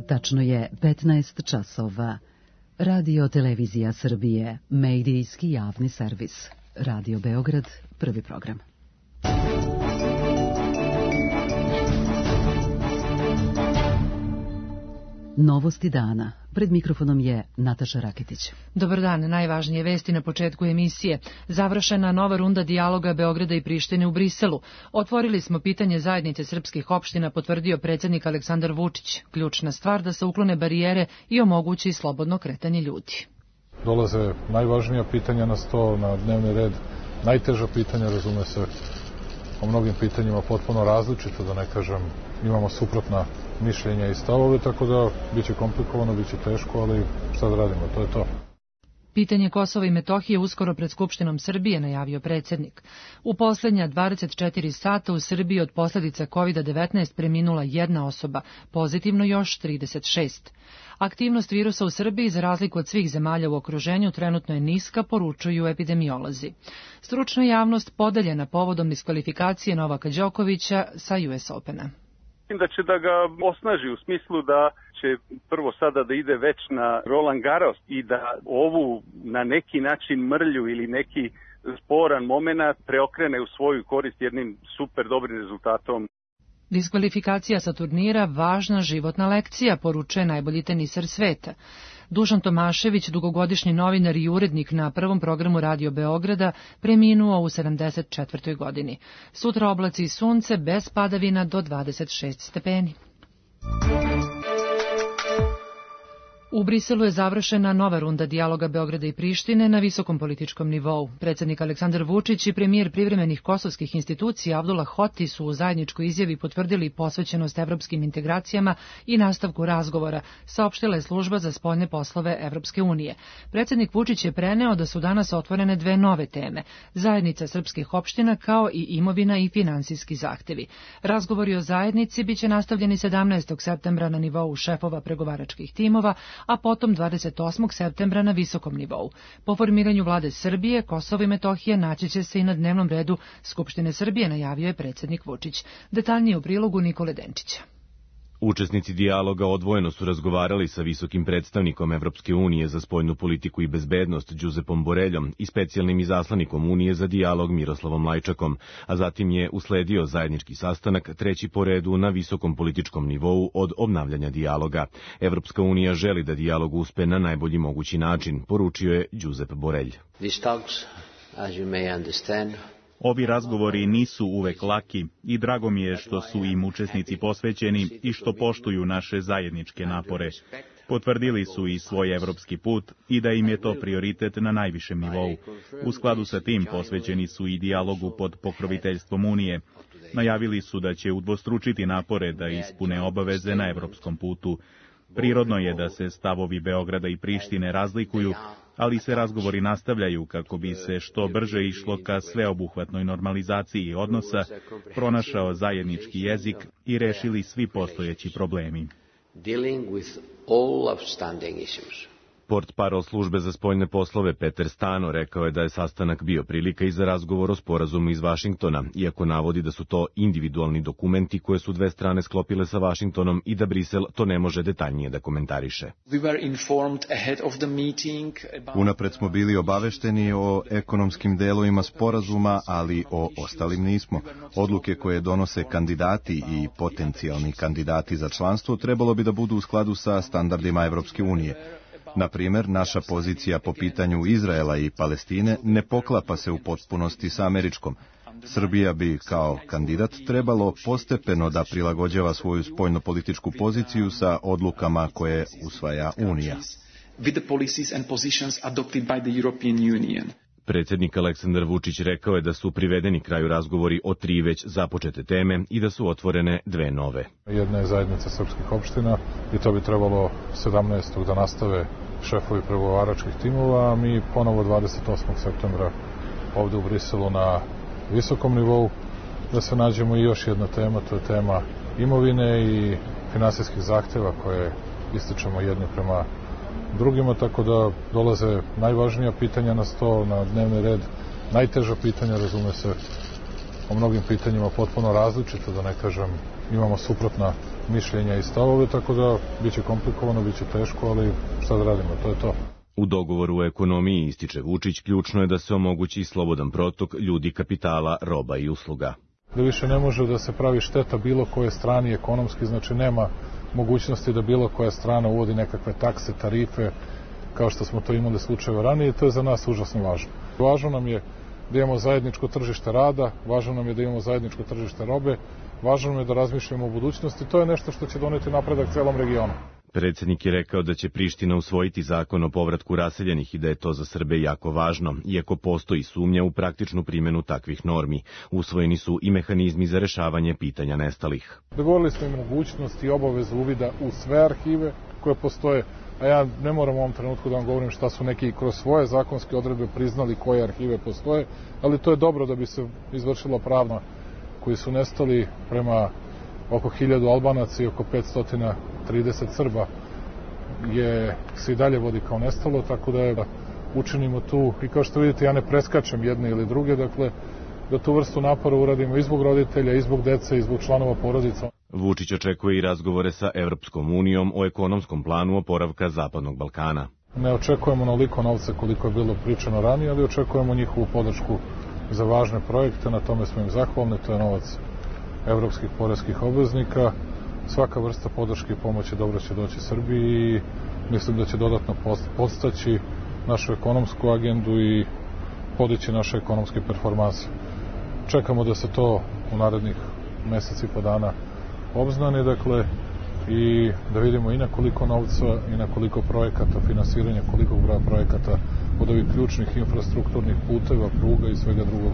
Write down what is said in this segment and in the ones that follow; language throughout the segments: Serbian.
Tačno je 15 časova. Radio Televizija Srbije, medijski javni servis. Radio Beograd, prvi program. Novosti dana. Pred mikrofonom je Nataša Raketić. Dobar dan, najvažnije vesti na početku emisije. Završena nova runda dijaloga Beograda i Prištine u Briselu. Otvorili smo pitanje zajednice srpskih opština, potvrdio predsjednik Aleksandar Vučić. Ključna stvar da se uklone barijere i omogući slobodno kretanje ljudi. Dolaze najvažnija pitanja na sto, na dnevni red. Najteža pitanja, razume se, o mnogim pitanjima potpuno različito, da ne kažem, imamo suprotna mišljenja i stavove, tako da biće komplikovano, biće teško, ali šta da radimo, to je to. Pitanje Kosova i Metohije uskoro pred Skupštinom Srbije, najavio predsjednik. U posljednja 24 sata u Srbiji od posljedica COVID-19 preminula jedna osoba, pozitivno još 36. Aktivnost virusa u Srbiji, za razliku od svih zemalja u okruženju, trenutno je niska, poručuju epidemiolozi. Stručna javnost podeljena povodom diskvalifikacije Novaka Đokovića sa US Opena. Da će da ga osnaži u smislu da će prvo sada da ide već na Roland Garros i da ovu na neki način mrlju ili neki sporan moment preokrene u svoju korist jednim super dobrim rezultatom. Diskvalifikacija sa turnira važna životna lekcija, poručuje najbolji teniser sveta. Dušan Tomašević, dugogodišnji novinar i urednik na prvom programu Radio Beograda, preminuo u 74. godini. Sutra oblaci i sunce bez padavina do 26 stepeni. U Briselu je završena nova runda dijaloga Beograda i Prištine na visokom političkom nivou. Predsjednik Aleksandar Vučić i premijer privremenih kosovskih institucija Abdullah Hoti su u zajedničkoj izjavi potvrdili posvećenost evropskim integracijama i nastavku razgovora, saopštila je služba za spoljne poslove Evropske unije. Predsjednik Vučić je preneo da su danas otvorene dve nove teme, zajednica srpskih opština kao i imovina i finansijski zahtevi. Razgovori o zajednici biće nastavljeni 17. septembra na nivou šefova pregovaračkih timova, a potom 28. septembra na visokom nivou. Po formiranju vlade Srbije, Kosovo i Metohija naći će se i na dnevnom redu Skupštine Srbije, najavio je predsjednik Vučić. Detaljnije u prilogu Nikole Denčića. Učesnici dijaloga odvojeno su razgovarali sa visokim predstavnikom Evropske unije za spoljnu politiku i bezbednost Giuseppom Boreljom i specijalnim izaslanikom Unije za dijalog Miroslavom Lajčakom, a zatim je usledio zajednički sastanak, treći po redu na visokom političkom nivou od obnavljanja dijaloga. Evropska unija želi da dijalog uspe na najbolji mogući način, poručio je Giuseppe Borelj. Ovi razgovori nisu uvek laki i drago mi je što su im učesnici posvećeni i što poštuju naše zajedničke napore. Potvrdili su i svoj evropski put i da im je to prioritet na najvišem nivou. U skladu sa tim posvećeni su i dijalogu pod pokroviteljstvom Unije. Najavili su da će udvostručiti napore da ispune obaveze na evropskom putu. Prirodno je da se stavovi Beograda i Prištine razlikuju, ali se razgovori nastavljaju kako bi se što brže išlo ka sveobuhvatnoj normalizaciji odnosa, pronašao zajednički jezik i rešili svi postojeći problemi. Portparol službe za spoljne poslove Peter Stano rekao je da je sastanak bio prilika i za razgovor o sporazumu iz Vašingtona, iako navodi da su to individualni dokumenti koje su dve strane sklopile sa Vašingtonom i da Brisel to ne može detaljnije da komentariše. Unapred smo bili obavešteni o ekonomskim delovima sporazuma, ali o ostalim nismo. Odluke koje donose kandidati i potencijalni kandidati za članstvo trebalo bi da budu u skladu sa standardima Evropske unije. Na primjer, naša pozicija po pitanju Izraela i Palestine ne poklapa se u potpunosti sa američkom. Srbija bi kao kandidat trebalo postepeno da prilagođava svoju spoljnopolitičku poziciju sa odlukama koje usvaja Unija. Predsjednik Aleksandar Vučić rekao je da su privedeni kraju razgovori o 3 već započete teme i da su otvorene 2 nove. Jedna je zajednica srpskih opština i to bi trebalo 17. da nastave šefovi pregovaračkih timova, a mi ponovo 28. septembra ovdje u Briselu na visokom nivou da se nađemo i još jedna tema, to je tema imovine i finansijskih zahtjeva koje ističemo jedni prema drugima, tako da dolaze najvažnija pitanja na sto, na dnevni red, najteža pitanja, razume se, o mnogim pitanjima potpuno različito, da ne kažem, imamo suprotna mišljenja i stavove, tako da biće komplikovano, biće teško, ali šta da radimo, to je to. U dogovoru o ekonomiji, ističe Vučić, ključno je da se omogući slobodan protok ljudi, kapitala, roba i usluga. Da više ne može da se pravi šteta bilo koje strani ekonomski, znači nema mogućnosti da bilo koja strana uvodi nekakve takse, tarife, kao što smo to imali slučajeva ranije, i to je za nas užasno važno. Važno nam je da imamo zajedničko tržište rada, važno nam je da imamo zajedničko tržište robe, važno nam je da razmišljamo o budućnosti, to je nešto što će doneti napredak celom regionu. Predsjednik je rekao da će Priština usvojiti zakon o povratku raseljenih i da je to za Srbe jako važno, iako postoji sumnja u praktičnu primjenu takvih normi. Usvojeni su i mehanizmi za rešavanje pitanja nestalih. Dogovorili smo i mogućnost i obavezu uvida u sve arhive koje postoje, a ja ne moram u ovom trenutku da vam govorim šta su neki kroz svoje zakonske odredbe priznali koje arhive postoje, ali to je dobro da bi se izvršila pravna koji su nestali prema oko 1000 Albanaca i oko 530 Srba se i dalje vodi kao nestalo, tako da učinimo tu, i kao što vidite ja ne preskačem jedne ili druge, dakle da tu vrstu napora uradimo i zbog roditelja, i zbog dece, i zbog članova porodica. Vučić očekuje i razgovore sa Evropskom unijom o ekonomskom planu oporavka Zapadnog Balkana. Ne očekujemo onoliko novca koliko je bilo pričano ranije, ali očekujemo njihovu podršku za važne projekte, na tome smo im zahvalni, to je novac evropskih poreskih obveznika. Svaka vrsta podrške i pomoći dobro će doći Srbiji i mislim da će dodatno podstaći našu ekonomsku agendu i podići naše ekonomske performanse. Čekamo da se to u narednih meseci i po dana obznani, dakle, i da vidimo i na koliko novca i na koliko projekata, finansiranja, koliko broja projekata od ovih ključnih infrastrukturnih puteva, pruga i svega drugog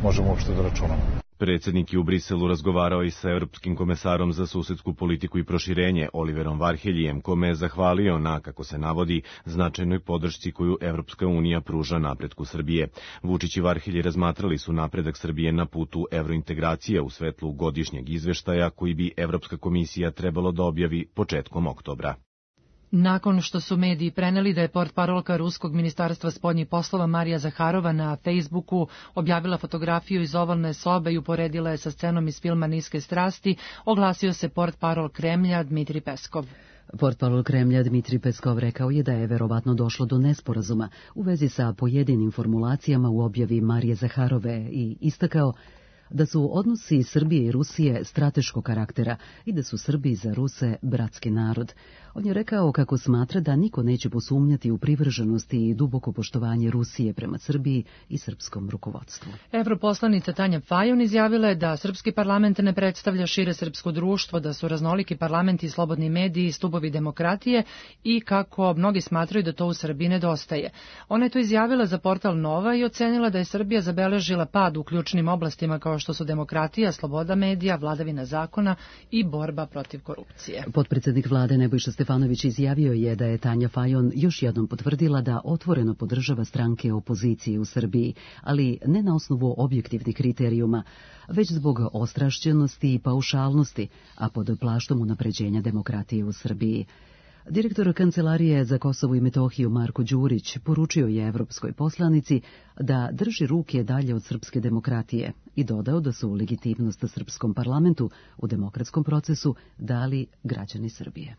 možemo uopšte da računamo. Predsjednik je u Briselu razgovarao i sa Europskim komesarom za susedsku politiku i proširenje Oliverom Varheljijem, kome je zahvalio na, kako se navodi, značajnoj podršci koju Evropska unija pruža napretku Srbije. Vučić i Varhelji razmatrali su napredak Srbije na putu evrointegracije u svetlu godišnjeg izveštaja koji bi Evropska komisija trebalo da objavi početkom oktobra. Nakon što su mediji preneli da je portparolka Ruskog ministarstva spoljnih poslova Marija Zaharova na Facebooku objavila fotografiju iz ovalne sobe i uporedila je sa scenom iz filma Niske strasti, oglasio se portparol Kremlja Dmitri Peskov. Portparol Kremlja Dmitri Peskov rekao je da je verovatno došlo do nesporazuma u vezi sa pojedinim formulacijama u objavi Marije Zaharove i istakao da su odnosi Srbije i Rusije strateškog karaktera i da su Srbi za Ruse bratski narod. On je rekao kako smatra da niko neće posumnjati u privrženosti i duboko poštovanje Rusije prema Srbiji i srpskom rukovodstvu. Evroposlanica Tanja Fajon izjavila je da srpski parlament ne predstavlja šire srpsko društvo, da su raznoliki parlamenti i slobodni mediji stubovi demokratije i kako mnogi smatraju da to u Srbiji nedostaje. Ona je to izjavila za portal Nova i ocenila da je Srbija zabeležila pad u ključnim oblastima kao što su demokratija, sloboda medija, vladavina zakona i borba protiv korupcije. Potpredsednik vlade Nebojša Stefanović izjavio je da je Tanja Fajon još jednom potvrdila da otvoreno podržava stranke opozicije u Srbiji, ali ne na osnovu objektivnih kriterijuma, već zbog ostrašćenosti i paušalnosti, a pod plaštom unapređenja demokratije u Srbiji. Direktor Kancelarije za Kosovo i Metohiju Marko Đurić poručio je evropskoj poslanici da drži ruke dalje od srpske demokratije i dodao da su legitimnost srpskom parlamentu u demokratskom procesu dali građani Srbije.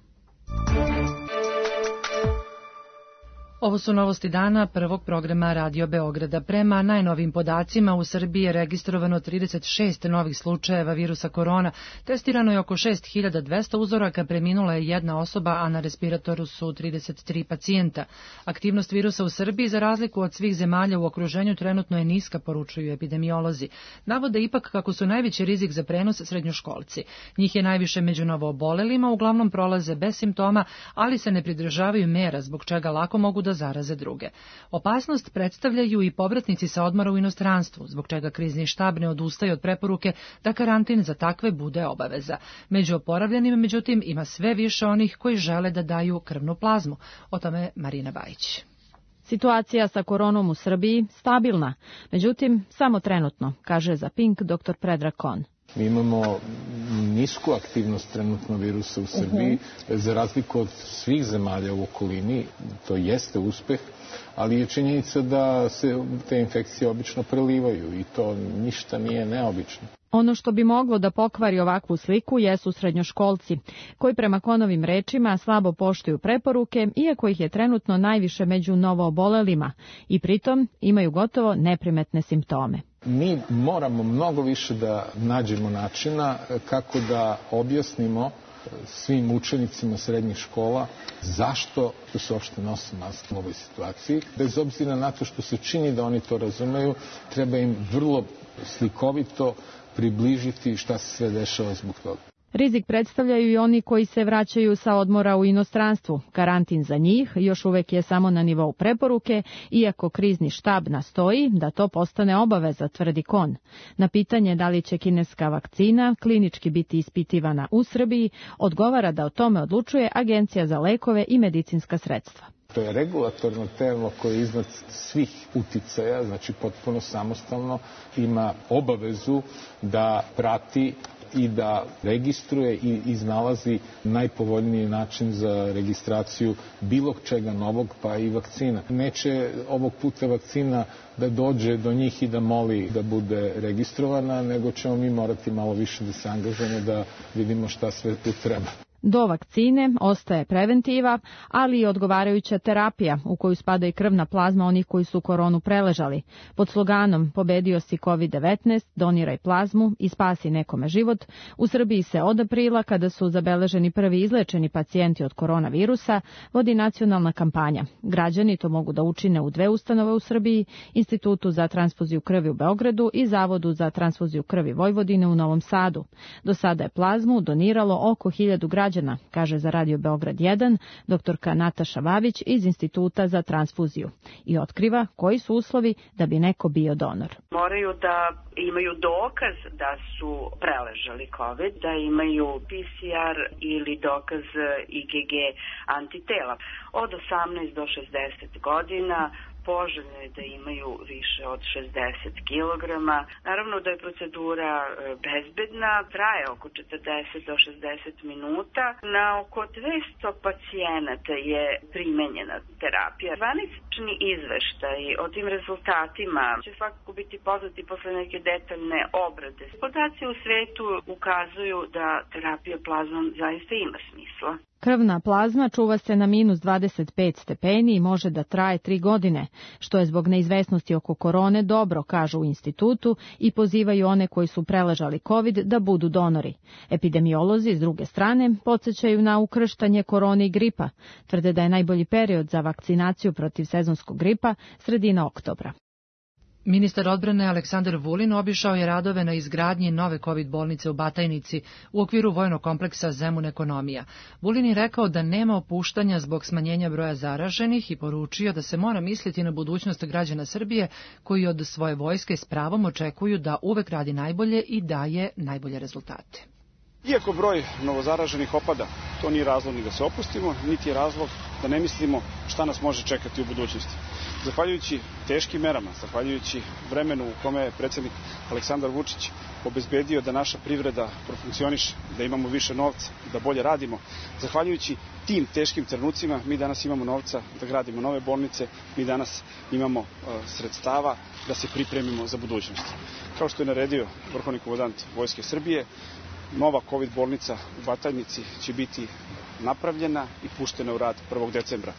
Ovo su novosti dana prvog programa Radio Beograda. Prema najnovim podacima u Srbiji je registrovano 36 novih slučajeva virusa korona. Testirano je oko 6200 uzoraka, preminula je jedna osoba, a na respiratoru su 33 pacijenta. Aktivnost virusa u Srbiji, za razliku od svih zemalja u okruženju, trenutno je niska, poručuju epidemiolozi. Navode ipak kako su najveći rizik za prenos srednjoškolci. Njih je najviše među novoobolelima, uglavnom prolaze bez simptoma, ali se ne pridržavaju mera, zbog čega lako mogu da zaraze druge. Opasnost predstavljaju i povratnici sa odmora u inostranstvu, zbog čega krizni štab ne odustaje od preporuke da karantin za takve bude obaveza. Među oporavljenim, međutim, ima sve više onih koji žele da daju krvnu plazmu. O tome Marina Bajić. Situacija sa koronom u Srbiji stabilna, međutim, samo trenutno, kaže za Pink dr. Predrag Kon. Mi imamo nisku aktivnost trenutno virusa u Srbiji, za razliku od svih zemalja u okolini, to jeste uspeh, ali je činjenica da se te infekcije obično prelivaju i to ništa nije neobično. Ono što bi moglo da pokvari ovakvu sliku jesu srednjoškolci, koji prema Konovim rečima slabo poštuju preporuke, iako ih je trenutno najviše među novoobolelima i pritom imaju gotovo neprimetne simptome. Mi moramo mnogo više da nađemo načina kako da objasnimo svim učenicima srednjih škola zašto se uopšte nose maske u ovoj situaciji. Bez obzira na to što se čini da oni to razumeju, treba im vrlo slikovito približiti šta se sve dešava zbog toga. Rizik predstavljaju i oni koji se vraćaju sa odmora u inostranstvu. Karantin za njih još uvek je samo na nivou preporuke, iako krizni štab nastoji da to postane obaveza, tvrdi Kon. Na pitanje da li će kineska vakcina klinički biti ispitivana u Srbiji, odgovara da o tome odlučuje Agencija za lekove i medicinska sredstva. To je regulatorno telo koje iznad svih uticaja, znači potpuno samostalno, ima obavezu da prati i da registruje i iznalazi najpovoljniji način za registraciju bilo čega novog, pa i vakcina. Neće ovog puta vakcina da dođe do njih i da moli da bude registrovana, nego ćemo mi morati malo više da se angažujemo da vidimo šta sve tu treba. Do vakcine ostaje preventiva, ali i odgovarajuća terapija u koju spada i krvna plazma onih koji su koronu preležali. Pod sloganom "Pobedio si COVID-19, doniraj plazmu i spasi nekome život", u Srbiji se od aprila, kada su zabeleženi prvi izlečeni pacijenti od koronavirusa, vodi nacionalna kampanja. Građani to mogu da učine u 2 ustanove u Srbiji, Institutu za transfuziju krvi u Beogradu i Zavodu za transfuziju krvi Vojvodine u Novom Sadu. Do sada je plazmu doniralo oko 1000 građana, kaže za Radio Beograd 1 doktorka Nataša Vavić iz Instituta za transfuziju i otkriva koji su uslovi da bi neko bio donor. Moraju da imaju dokaz da su preležali COVID, da imaju PCR ili dokaz IgG antitela. Od 18 do 60 godina poželjno je da imaju više od 60 kg. Naravno da je procedura bezbedna, traje oko 40 do 60 minuta. Na oko 200 pacijenata je primenjena terapija. Zvanični izveštaj o tim rezultatima će svakako biti poznati posle neke detaljne obrade. Podaci u svetu ukazuju da terapija plazmom zaista ima smisla. Krvna plazma čuva se na -25 stepeni i može da traje 3 godine, što je zbog neizvesnosti oko korone dobro, kažu u institutu, i pozivaju one koji su preležali COVID da budu donori. Epidemiolozi, s druge strane, podsjećaju na ukrštanje korone i gripa. Tvrde da je najbolji period za vakcinaciju protiv sezonskog gripa sredina oktobra. Ministar odbrane Aleksandar Vulin obišao je radove na izgradnji nove COVID bolnice u Batajnici u okviru vojnog kompleksa Zemun ekonomija. Vulin je rekao da nema opuštanja zbog smanjenja broja zaraženih i poručio da se mora misliti na budućnost građana Srbije koji od svoje vojske s pravom očekuju da uvek radi najbolje i daje najbolje rezultate. Iako broj novozaraženih opada, to nije razlog ni da se opustimo, niti je razlog da ne mislimo šta nas može čekati u budućnosti. Zahvaljujući teškim merama, zahvaljujući vremenu u kome je predsjednik Aleksandar Vučić obezbedio da naša privreda profunkcioniše, da imamo više novca, da bolje radimo, zahvaljujući tim teškim trenucima mi danas imamo novca da gradimo nove bolnice, mi danas imamo sredstava da se pripremimo za budućnost. Kao što je naredio vrhovni komandant Vojske Srbije, nova COVID bolnica u Batajnici će biti napravljena i puštena u rad 1. decembra.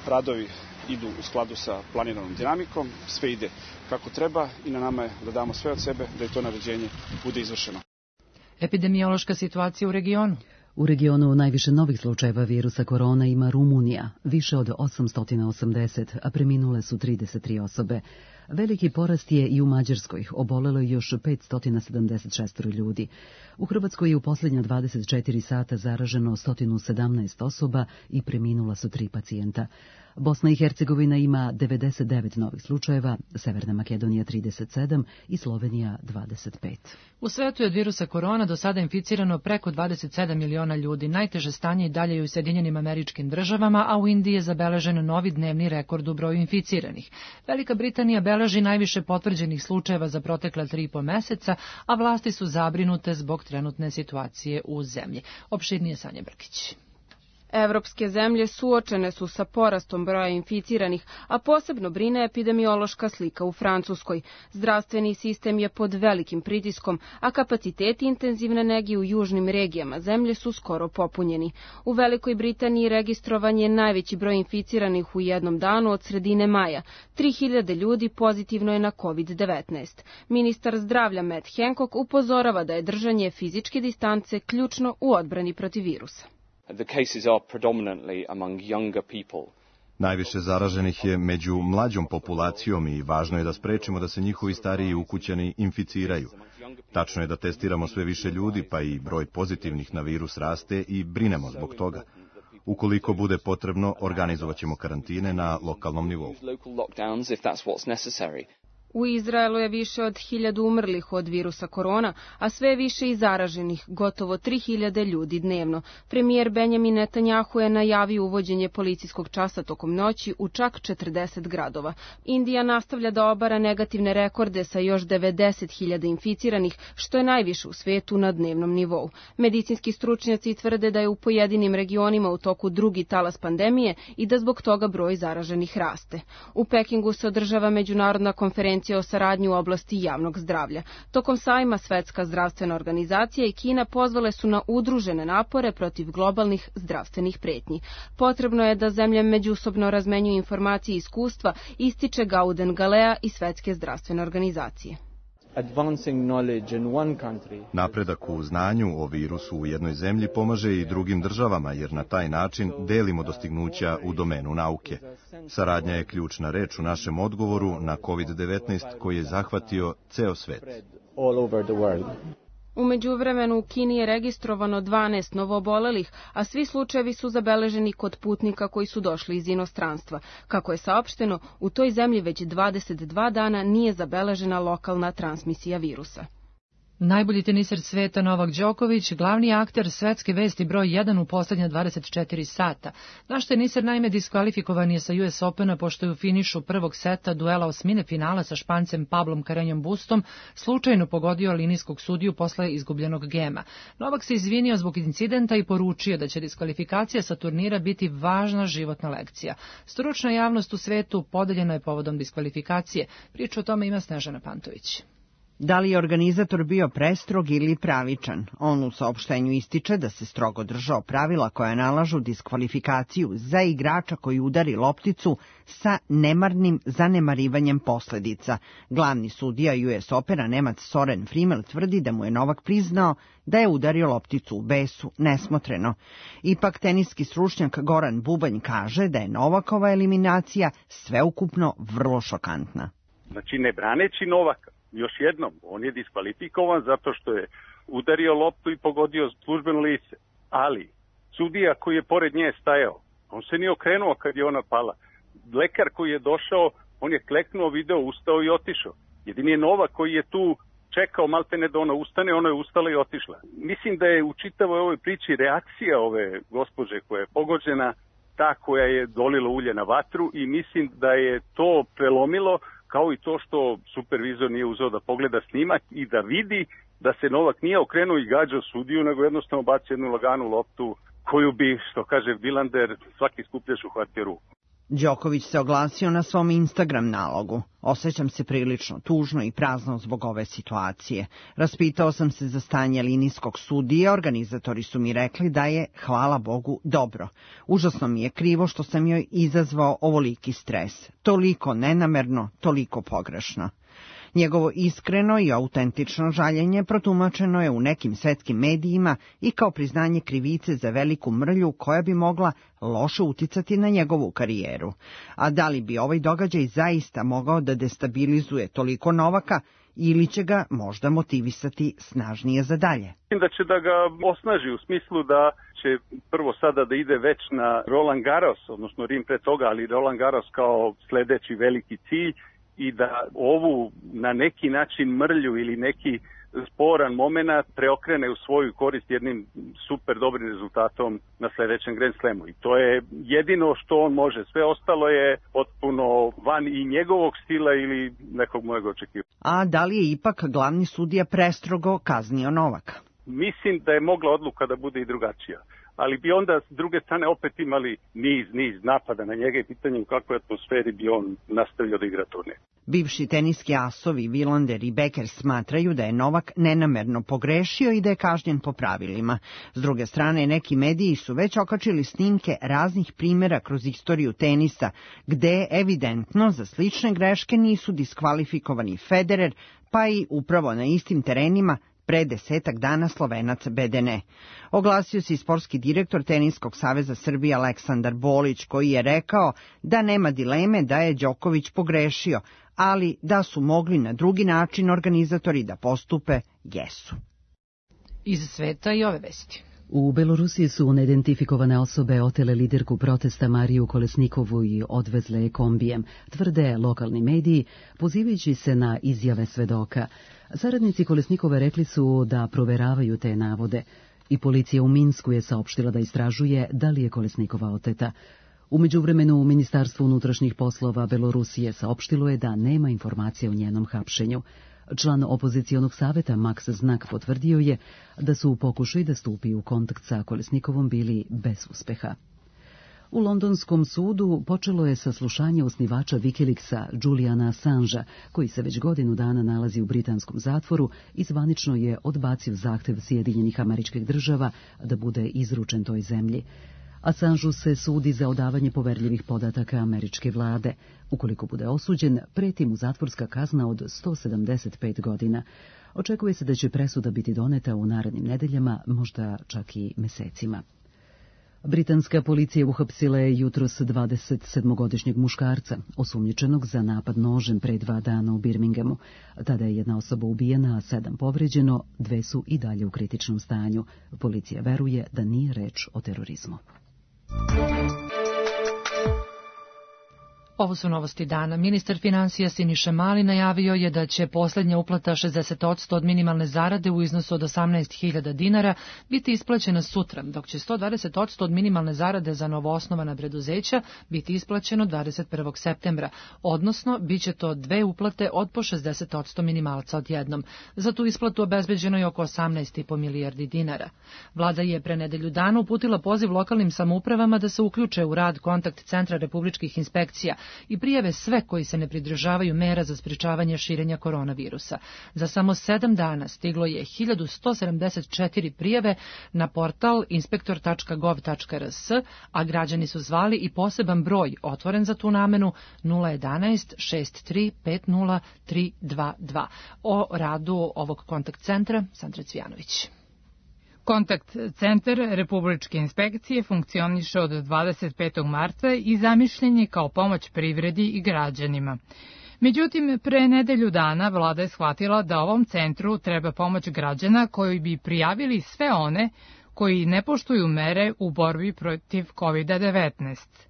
Radovi idu u skladu sa planiranom dinamikom, sve ide kako treba i na nama je da damo sve od sebe da je to naređenje bude izvršeno. Epidemiološka situacija u regionu. U regionu najviše novih slučajeva virusa korona ima Rumunija, više od 880, a preminule su 33 osobe. Veliki porast je i u Mađarskoj, obolelo je još 576 ljudi. U Hrvatskoj je u posljednja 24 sata zaraženo 117 osoba i preminula su 3 pacijenta. Bosna i Hercegovina ima 99 novih slučajeva, Severna Makedonija 37 i Slovenija 25. U svetu je od virusa korona do sada inficirano preko 27 miliona ljudi. Najteže stanje i dalje je u Sjedinjenim Američkim Državama, a u Indiji je zabeležen novi dnevni rekord u broju inficiranih. Velika Britanija beleži najviše potvrđenih slučajeva za protekla 3,5 meseca, a vlasti su zabrinute zbog trenutne situacije u zemlji. Opširnije Sanja Brkić. Evropske zemlje suočene su sa porastom broja inficiranih, a posebno brine epidemiološka slika u Francuskoj. Zdravstveni sistem je pod velikim pritiskom, a kapaciteti intenzivne nege u južnim regijama zemlje su skoro popunjeni. U Velikoj Britaniji registrovan je najveći broj inficiranih u jednom danu od sredine maja. 3000 ljudi pozitivno je na COVID-19. Ministar zdravlja Matt Hancock upozorava da je držanje fizičke distance ključno u odbrani protiv virusa. Najviše zaraženih je među mlađom populacijom i važno je da sprečimo da se njihovi stariji ukućani inficiraju. Tačno je da testiramo sve više ljudi, pa i broj pozitivnih na virus raste i brinemo zbog toga. Ukoliko bude potrebno, organizovat ćemo karantine na lokalnom nivou. U Izraelu je više od 1000 umrlih od virusa korona, a sve više i zaraženih, gotovo 3000 ljudi dnevno. Premijer Benjamin Netanjahu je najavio uvođenje policijskog časa tokom noći u čak 40 gradova. Indija nastavlja da obara negativne rekorde sa još 90.000 inficiranih, što je najviše u svetu na dnevnom nivou. Medicinski stručnjaci tvrde da je u pojedinim regionima u toku drugi talas pandemije i da zbog toga broj zaraženih raste. U Pekingu se održava međunarodna konferencija o saradnji u oblasti javnog zdravlja. Tokom sajma Svetska zdravstvena organizacija i Kina pozvale su na udružene napore protiv globalnih zdravstvenih pretnji. Potrebno je da zemlje međusobno razmenjuju informacije i iskustva, ističe Gauden Galea iz Svetske zdravstvene organizacije. Napredak u znanju o virusu u jednoj zemlji pomaže i drugim državama, jer na taj način delimo dostignuća u domenu nauke. Saradnja je ključna reč u našem odgovoru na COVID-19 koji je zahvatio ceo svet. U međuvremenu u Kini je registrovano 12 novoobolelih, a svi slučajevi su zabeleženi kod putnika koji su došli iz inostranstva. Kako je saopšteno, u toj zemlji već 22 dana nije zabeležena lokalna transmisija virusa. Najbolji teniser sveta Novak Đoković, glavni akter svetske vesti broj 1 u poslednja 24 sata. Naš teniser naime diskvalifikovan je sa US Opena pošto je u finišu prvog seta duela osmine finala sa Špancem Pablom Carreñom Bustom slučajno pogodio linijskog sudiju posle izgubljenog gema. Novak se izvinio zbog incidenta i poručio da će diskvalifikacija sa turnira biti važna životna lekcija. Stručna javnost u svetu podeljena je povodom diskvalifikacije. Priču o tome ima Snežana Pantović. Da li je organizator bio prestrog ili pravičan? On u saopštenju ističe da se strogo držao pravila koja nalažu diskvalifikaciju za igrača koji udari lopticu sa nemarnim zanemarivanjem posledica. Glavni sudija US Opena Nemac Soren Friemel tvrdi da mu je Novak priznao da je udario lopticu u besu nesmotreno. Ipak teniski stručnjak Goran Bubanj kaže da je Novakova eliminacija sveukupno vrlo šokantna. Znači, ne braneći Novaka, još jednom, on je diskvalifikovan zato što je udario loptu i pogodio službeno lice. Ali, sudija koji je pored nje stajao, on se nije okrenuo kad je ona pala. Lekar koji je došao, on je kleknuo, video, ustao i otišao. Jedini je Novak koji je tu čekao maltene da ona ustane, ona je ustala i otišla. Mislim da je u čitavoj ovoj priči reakcija ove gospođe koja je pogođena ta koja je dolila ulje na vatru i mislim da je to prelomilo, kao i to što supervizor nije uzeo da pogleda snimak i da vidi da se Novak nije okrenuo i gađao sudiju, nego jednostavno bacio jednu laganu loptu koju bi, što kaže Vilander, svaki skupljaš uhvatio ruku. Đoković se oglasio na svom Instagram nalogu. Osjećam se prilično tužno i prazno zbog ove situacije. Raspitao sam se za stanje linijskog sudija, organizatori su mi rekli da je, hvala Bogu, dobro. Užasno mi je krivo što sam joj izazvao ovoliki stres. Toliko nenamerno, toliko pogrešno. Njegovo iskreno i autentično žaljenje protumačeno je u nekim svetskim medijima i kao priznanje krivice za veliku mrlju koja bi mogla loše uticati na njegovu karijeru. A da li bi ovaj događaj zaista mogao da destabilizuje toliko Novaka ili će ga možda motivisati snažnije za dalje? Da će da ga osnaži u smislu da će prvo sada da ide već na Roland Garros, odnosno Rim pre toga, ali Roland Garros kao sledeći veliki cilj, i da ovu na neki način mrlju ili neki sporan moment preokrene u svoju korist jednim super dobrim rezultatom na sledećem Grand Slamu. I to je jedino što on može. Sve ostalo je potpuno van i njegovog stila ili nekog mojeg očekivanja. A da li je ipak glavni sudija prestrogo kaznio Novaka? Mislim da je mogla odluka da bude i drugačija. ali bi onda s druge strane opet imali niz napada na njega i pitanje u kakvoj atmosferi bi on nastavio da igra turnir. Bivši teniski asovi Wilander i Becker smatraju da je Novak nenamerno pogrešio i da je kažnjen po pravilima. S druge strane, neki mediji su već okačili snimke raznih primjera kroz istoriju tenisa, gde evidentno za slične greške nisu diskvalifikovani Federer, pa i upravo na istim terenima pre 10 dana Slovenac Bedene. Oglasio se i sportski direktor Teniskog saveza Srbije Aleksandar Bolić, koji je rekao da nema dileme da je Đoković pogrešio, ali da su mogli na drugi način organizatori da postupe, jesu. Iz sveta i ove vesti. U Belorusiji su neidentifikovane osobe otele liderku protesta Mariju Kolesnikovu i odvezle je kombijem, tvrde lokalni mediji, pozivajući se na izjave svedoka. Saradnici Kolesnikove rekli su da proveravaju te navode i policija u Minsku je saopštila da istražuje da li je Kolesnikova oteta. U međuvremenu Ministarstvo unutrašnjih poslova Belorusije saopštilo je da nema informacije o njenom hapšenju. Član opozicionog saveta Max Znak potvrdio je da su u pokušaju da stupi u kontakt sa Kolesnikovom bili bez uspeha. U londonskom sudu počelo je saslušanje osnivača Wikileaksa Juliana Assangea, koji se već godinu dana nalazi u britanskom zatvoru i zvanično je odbacio zahtev Sjedinjenih Američkih Država da bude izručen toj zemlji. Assangeu se sudi za odavanje poverljivih podataka američke vlade. Ukoliko bude osuđen, preti mu zatvorska kazna od 175 godina. Očekuje se da će presuda biti doneta u narednim nedeljama, možda čak i mesecima. Britanska policija uhapsila je jutros 27-godišnjeg muškarca, osumnjičenog za napad nožem pre 2 dana u Birminghamu. Tada je 1 osoba ubijena, a 7 povređeno, 2 su i dalje u kritičnom stanju. Policija veruje da nije reč o terorizmu. Ovo su novosti dana. Ministar finansija Siniša Mali najavio je da će posljednja uplata 60% od minimalne zarade u iznosu od 18.000 dinara biti isplaćena sutra, dok će 120% od minimalne zarade za novoosnovana preduzeća biti isplaćeno 21. septembra, odnosno bit će to 2 uplate od po 60% minimalca odjednom. Za tu isplatu obezbeđeno je oko 18,5 milijardi dinara. Vlada je pre nedelju dana uputila poziv lokalnim samoupravama da se uključe u rad kontakt centra republičkih inspekcija i prijave sve koji se ne pridržavaju mera za sprečavanje širenja koronavirusa. Za samo 7 dana stiglo je 1174 prijave na portal inspektor.gov.rs, a građani su zvali i poseban broj otvoren za tu namenu 011 63 50 322. O radu ovog kontakt centra Sandra Cvijanović. Kontakt centar Republičke inspekcije funkcioniše od 25. marta i zamišljen je kao pomoć privredi i građanima. Međutim, pre nedelju dana vlada je shvatila da ovom centru treba pomoć građana koji bi prijavili sve one koji ne poštuju mere u borbi protiv COVID-19.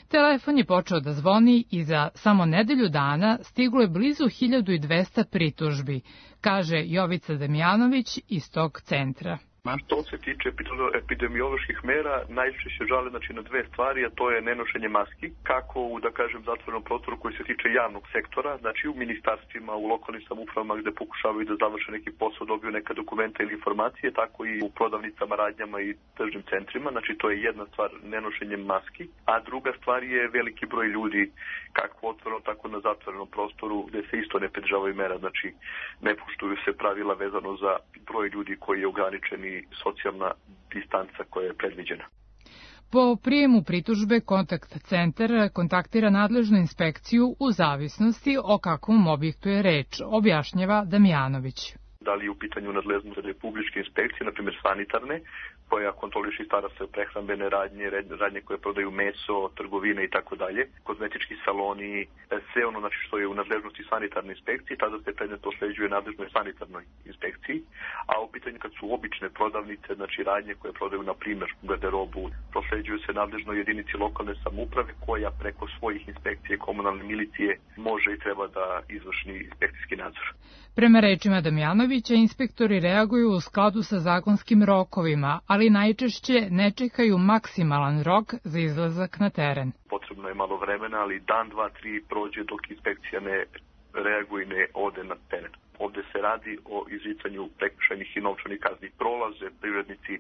Telefon je počeo da zvoni i za samo nedelju dana stiglo je blizu 1200 pritužbi, kaže Jovica Damjanović iz tog centra. Što se tiče epidemioloških mera, najčešće žale na 2 stvari, a to je nenošenje maski, kako u, zatvorenom prostoru koji se tiče javnog sektora, znači u ministarstvima, u lokalnim samoupravama gde pokušavaju da završe neki posao, dobiju neka dokumenta ili informacije, tako i u prodavnicama, radnjama i tržnim centrima, znači to je jedna stvar, nenošenje maski, a druga stvar je veliki broj ljudi, kako otvoreno, tako na zatvorenom prostoru, gde se isto ne pridržavaju mera, znači ne poštuju se pravila vezano za broj ljudi koji je ograničen i socijalna distanca koja je predviđena. Po prijemu pritužbe kontakt centar kontaktira nadležnu inspekciju u zavisnosti o kakvom objektu je reč, objašnjava Damjanović. Da li je u pitanju nadležnost republičke inspekcije, na primjer sanitarne, koja kontroliše i stara se o prehrambene radnje koje prodaju meso, trgovine i tako dalje, kozmetički saloni, sve ono znači što je u nadležnosti sanitarne inspekcije, tada se predmet prosleđuje nadležnoj sanitarnoj inspekciji, a u pitanju kad su obične prodavnice, znači radnje koje prodaju na primjer garderobu, prosleđuju se nadležnoj jedinici lokalne samouprave koja preko svojih inspekcije komunalne milicije može i treba da izvrši inspekcijski nadzor. Prema rečima Damjanovića, inspektori reaguju u skladu sa zakonskim rokovima, ali najčešće ne čekaju maksimalan rok za izlazak na teren. Potrebno je malo vremena, ali dan, 2, 3 prođe dok inspekcija ne reaguje i ne ode na teren. Ovde se radi o izricanju prekršajnih i novčanih kazni. Prolaze privrednici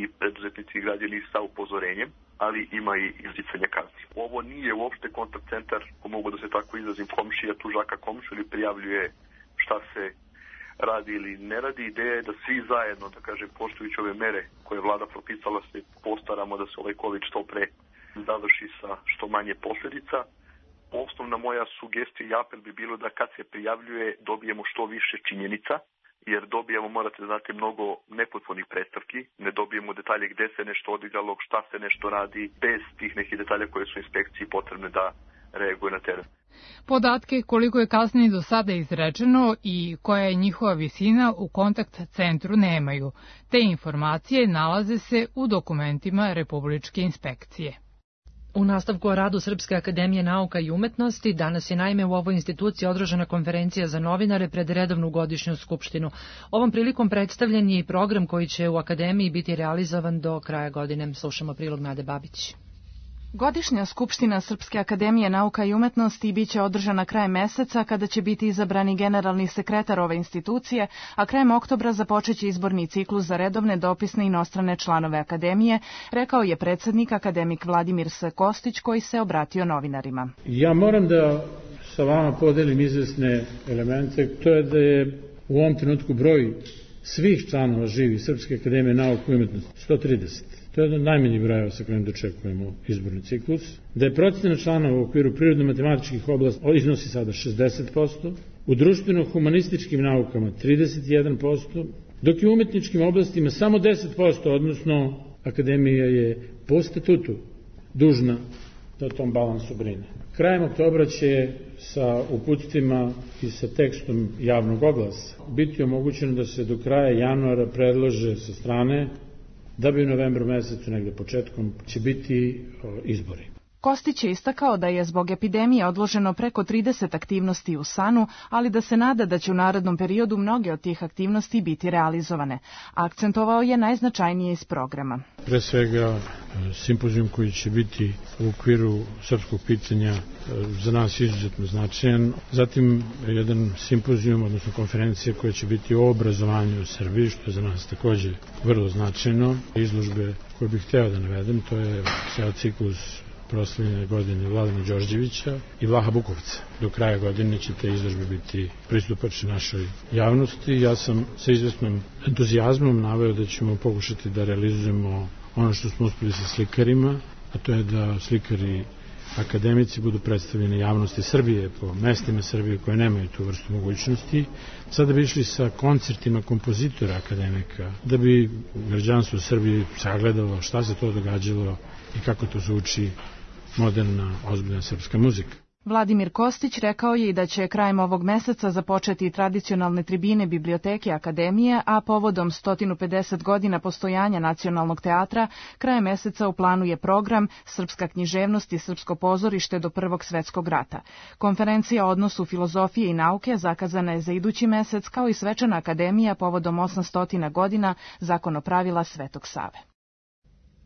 i preduzetnici i građani sa upozorenjem, ali ima i izricanje kazni. Ovo nije uopšte kontakt centar, ko mogu da se tako izrazim, komšija tužaka komšu ili prijavljuje šta se radi ili ne radi. Ideja je da svi zajedno, da kažem, poštujući ove mere koje je vlada propisala, se postaramo da se ovaj COVID što pre završi sa što manje posljedica. Osnovna moja sugestija i apel bi bilo da kad se prijavljuje dobijemo što više činjenica, jer dobijemo, morate znati, mnogo nepotpunih predstavki, ne dobijemo detalje gde se nešto odigralo, šta se nešto radi, bez tih nekih detalja koje su inspekciji potrebne da reaguje na teren. Podatke koliko je kazni do sada izrečeno i koja je njihova visina u kontakt centru nemaju. Te informacije nalaze se u dokumentima Republičke inspekcije. U nastavku o radu Srpske akademije nauka i umetnosti danas je naime u ovoj instituciji održana konferencija za novinare pred redovnu godišnju skupštinu. Ovom prilikom predstavljen je i program koji će u akademiji biti realizovan do kraja godine. Slušamo prilog Nade Babić. Godišnja skupština Srpske akademije nauka i umetnosti biće održana krajem meseca kada će biti izabrani generalni sekretar ove institucije, a krajem oktobra započeće izborni ciklus za redovne dopisne i inostrane članove akademije, rekao je predsednik akademik Vladimir S. Kostić koji se obratio novinarima. Ja moram da sa vama podelim izvesne elemente, to je da je u ovom trenutku broj svih članova živi Srpske akademije nauka i umetnosti 130. To je jedan od najmanjih brojeva sa kojim dočekujemo izborni ciklus. Da je procena članova u okviru prirodno-matematičkih oblasti iznosi sada 60%, u društveno-humanističkim naukama 31%, dok je u umetničkim oblastima samo 10%, odnosno akademija je po statutu dužna da o tom balansu brine. Krajem oktobra će sa uputstvima i sa tekstom javnog oglasa biti omogućeno da se do kraja januara predlože sa strane da bi u novembru mesecu, negde početkom, će biti izbori. Kostić je istakao da je zbog epidemije odloženo preko 30 aktivnosti u SANU, ali da se nada da će u narednom periodu mnoge od tih aktivnosti biti realizovane. Akcentovao je najznačajnije iz programa. Pre svega simpozijum koji će biti u okviru srpskog pitanja za nas izuzetno značajan. Zatim jedan simpozijum, odnosno konferencija koja će biti o obrazovanju u Srbiji, što je za nas takođe vrlo značajno. Izložbe koje bih hteo da navedem, to je ceo ciklus proslavljene godine Vladana Đorđevića i Vlaha Bukovca. Do kraja godine će te izložbe biti pristupačne našoj javnosti. Ja sam sa izvesnom entuzijazmom naveo da ćemo pokušati da realizujemo ono što smo uspeli sa slikarima, a to je da slikari akademici budu predstavljeni javnosti Srbije po mestima Srbije koje nemaju tu vrstu mogućnosti. Sada bi išli sa koncertima kompozitora akademika, da bi građanstvo Srbije sagledalo šta se to događalo i kako to zvuči moderna, ozbiljna srpska muzika. Vladimir Kostić rekao je i da će krajem ovog meseca započeti tradicionalne tribine biblioteke akademije, a povodom 150 godina postojanja Nacionalnog teatra, krajem meseca u planu je program Srpska književnost i srpsko pozorište do Prvog svetskog rata. Konferencija o odnosu filozofije i nauke zakazana je za idući mesec, kao i svečana akademija povodom 800 godina Zakonopravila Svetog Save.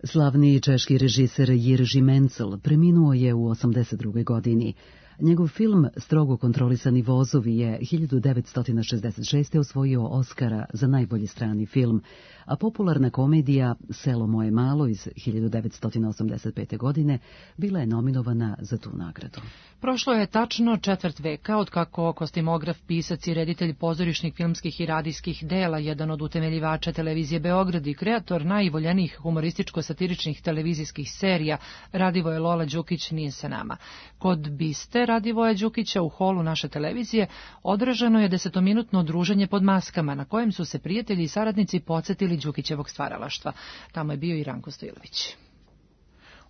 Slavni češki režiser Jiří Mencel preminuo je u 82. godini. Njegov film Strogo kontrolisani vozovi je 1966. osvojio Oskara za najbolji strani film, a popularna komedija Selo moje malo iz 1985. godine bila je nominovana za tu nagradu. Prošlo je tačno četvrt veka od kako kostimograf, pisac i reditelj pozorišnih, filmskih i radijskih dela, jedan od utemeljivača televizije Beograd i kreator najvoljenijih humorističko-satiričnih televizijskih serija Radivoje Lola Đukić nije sa nama. Kod biste Radivoja Đukića u holu naše televizije održano je 10-minutno druženje pod maskama na kojem su se prijatelji i saradnici podsjetili Đukićevog stvaralaštva. Tamo je bio i Ranko Stojlović.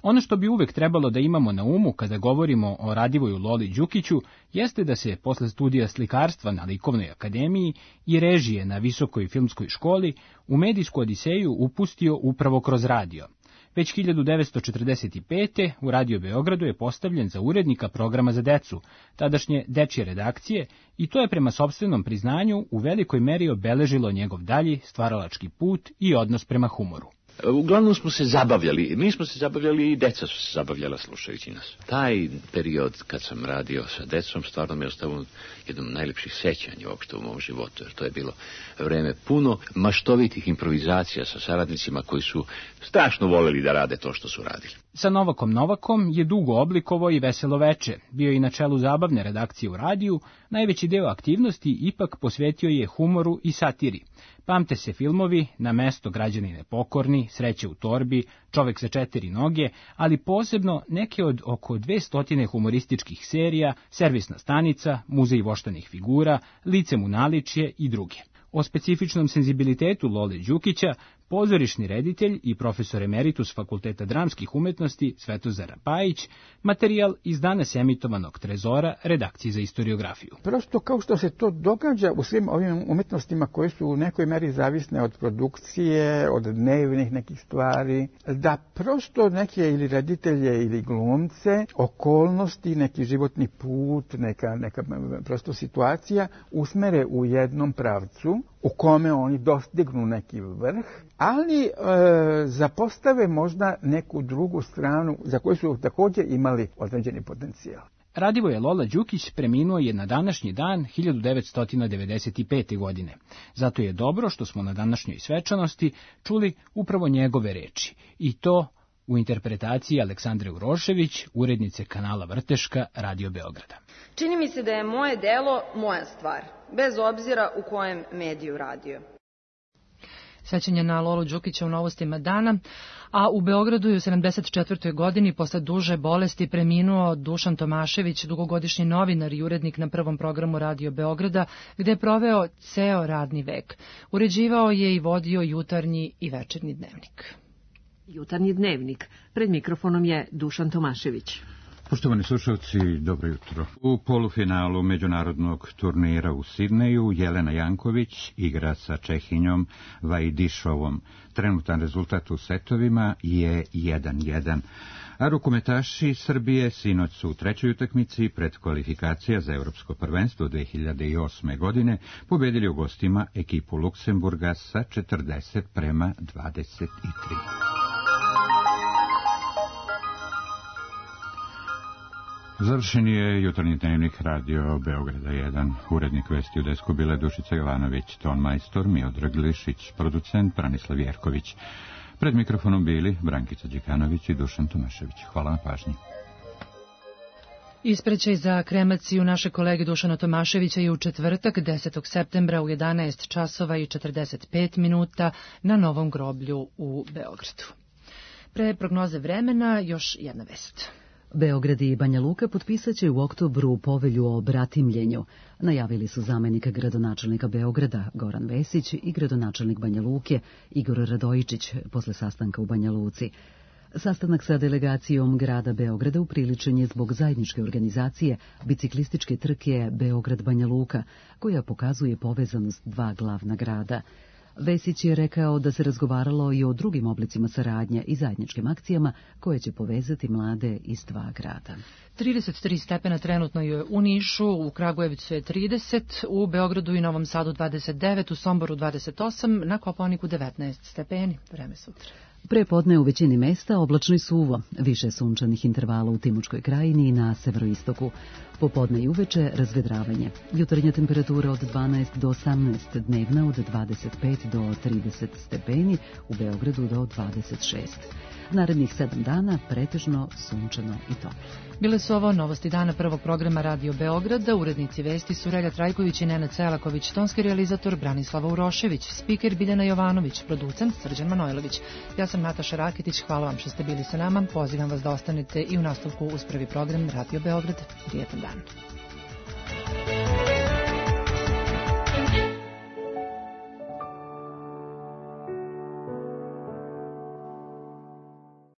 Ono što bi uvek trebalo da imamo na umu kada govorimo o Radivoju Loli Đukiću jeste da se posle studija slikarstva na Likovnoj akademiji i režije na Visokoj filmskoj školi u medijsku odiseju upustio upravo kroz radio. Već 1945. u Radio Beogradu je postavljen za urednika programa za decu, tadašnje dečje redakcije, i to je prema sopstvenom priznanju u velikoj meri obeležilo njegov dalji stvaralački put i odnos prema humoru. Uglavnom smo se zabavljali, mi smo se zabavljali i deca su se zabavljala slušajući nas. Taj period kad sam radio sa decom stvarno mi je ostavio jednom najlepših sećanja uopšte u mom životu, jer to je bilo vreme puno maštovitih improvizacija sa saradnicima koji su strašno voleli da rade to što su radili. Sa Novakom je dugo oblikovao i Veselo veče. Bio je na čelu zabavne redakcije u radiju, najveći deo aktivnosti ipak posvetio je humoru i satiri. Pamte se filmovi Na mesto građanine pokorni, Sreće u torbi, Čovek sa 4 noge, ali posebno neke od oko 200 humorističkih serija, Servisna stanica, Muzej voštanih figura, Lice mu naličje i druge. O specifičnom senzibilitetu Lole Đukića pozorišni reditelj i profesor emeritus Fakulteta dramskih umetnosti Svetozar Pajić, materijal iz danas emitovanog Trezora, redakcije za istoriografiju. Prosto kao što se to događa u svim ovim umetnostima koje su u nekoj meri zavisne od produkcije, od dnevnih nekih stvari, da prosto neke ili reditelje ili glumce, okolnosti, neki životni put, neka prosto situacija usmere u jednom pravcu u kome oni dostignu neki vrh, ali zapostave možda neku drugu stranu za koju su također imali određeni potencijal. Radivoje Lola Đukić preminuo je na današnji dan 1995. godine. Zato je dobro što smo na današnjoj svečanosti čuli upravo njegove reči. I to u interpretaciji Aleksandre Urošević, urednice kanala Vrteška, Radio Beograda. Čini mi se da je moje delo moja stvar, bez obzira u kojem mediju radio. Sećanje na Lolu Đukića u Novostima dana, a u Beogradu je u 74. godini posle duže bolesti preminuo Dušan Tomašević, dugogodišnji novinar i urednik na prvom programu Radio Beograda, gde je proveo ceo radni vek. Uređivao je i vodio jutarnji i večernji dnevnik. Jutarnji dnevnik. Pred mikrofonom je Dušan Tomašević. Poštovani slušalci, dobro jutro. U polufinalu međunarodnog turnira u Sidneju Jelena Janković igra sa Čehinjom Vajdišovom. Trenutan rezultat u setovima je 1:1. A rukometaši Srbije sinoć su u trećoj utakmici pred kvalifikacija za Evropsko prvenstvo 2008. godine pobedili u gostima ekipu Luksemburga sa 40:23. Završen je jutarnji dnevnik Radio Beograda 1. Urednik vesti u desku bile Dušica Jovanović, ton majstor Miodrag Glišić, producent Branislav Jerković. Pred mikrofonom bili Brankica Đekanović i Dušan Tomašević. Hvala na pažnji. Ispraćaj za kremaciju naše kolege Dušana Tomaševića je u četvrtak 10. septembra u 11 časova i 45 minuta na Novom groblju u Beogradu. Pre prognoze vremena još jedna vest. Beograd i Banja Luka potpisat će u oktobru povelju o bratimljenju. Najavili su zamenika gradonačelnika Beograda Goran Vesić i gradonačelnik Banja Luke Igor Radojičić posle sastanka u Banja Luci. Sastanak sa delegacijom grada Beograda upriličen je zbog zajedničke organizacije biciklističke trke Beograd-Banja Luka, koja pokazuje povezanost dva glavna grada. Vesić je rekao da se razgovaralo i o drugim oblicima saradnje i zajedničkim akcijama koje će povezati mlade iz dva grada. 33 stepena trenutno je u Nišu, u Kragujevcu je 30, u Beogradu i Novom Sadu 29, u Somboru 28, na Kopaoniku 19 stepeni. Vreme sutra. Prepodne u većini mesta oblačno i suvo, više sunčanih intervala u Timočkoj krajini i na severoistoku. Popodne i uveče razvedravanje. Jutarnja temperatura od 12 do 18, dnevna od 25 do 30 stepeni, u Beogradu do 26. Narednih 7 dana pretežno sunčano i toplo. Bile su ovo novosti dana prvog programa Radio Beograda, urednici vesti su Relja Trajković i Nenad Selaković, tonski realizator Branislava Urošević, spiker Biljana Jovanović, producent Srđan Manojlović. Ja sam Nataša Rakitić, hvala vam što ste bili sa nama, pozivam vas da ostanete i u nastavku uz prvi program Radio Beograd. Prijetan dan.